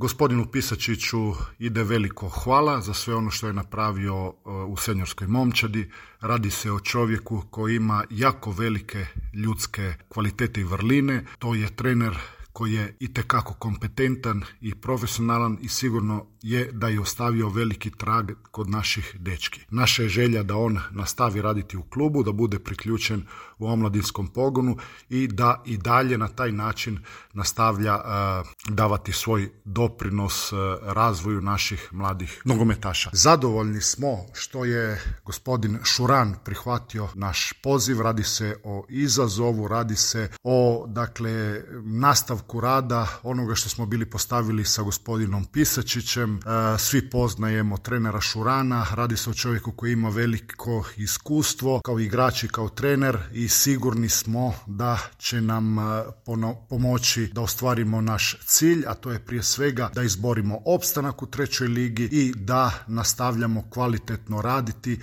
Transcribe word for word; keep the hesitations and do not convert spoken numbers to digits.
Gospodinu Pisačiću ide veliko hvala za sve ono što je napravio u seniorskoj momčadi. Radi se o čovjeku koji ima jako velike ljudske kvalitete i vrline. To je trener koji je itekako kompetentan i profesionalan i sigurno je da je ostavio veliki trag kod naših dečki. Naša je želja da on nastavi raditi u klubu, da bude priključen u omladinskom pogonu i da i dalje na taj način nastavlja uh, davati svoj doprinos uh, razvoju naših mladih nogometaša. Zadovoljni smo što je gospodin Šuran prihvatio naš poziv. Radi se o izazovu, radi se o dakle nastavku rada onoga što smo bili postavili sa gospodinom Pisačićem. Svi poznajemo trenera Šurana, radi se o čovjeku koji ima veliko iskustvo kao igrač i kao trener i sigurni smo da će nam pomoći da ostvarimo naš cilj, a to je prije svega da izborimo opstanak u trećoj ligi i da nastavljamo kvalitetno raditi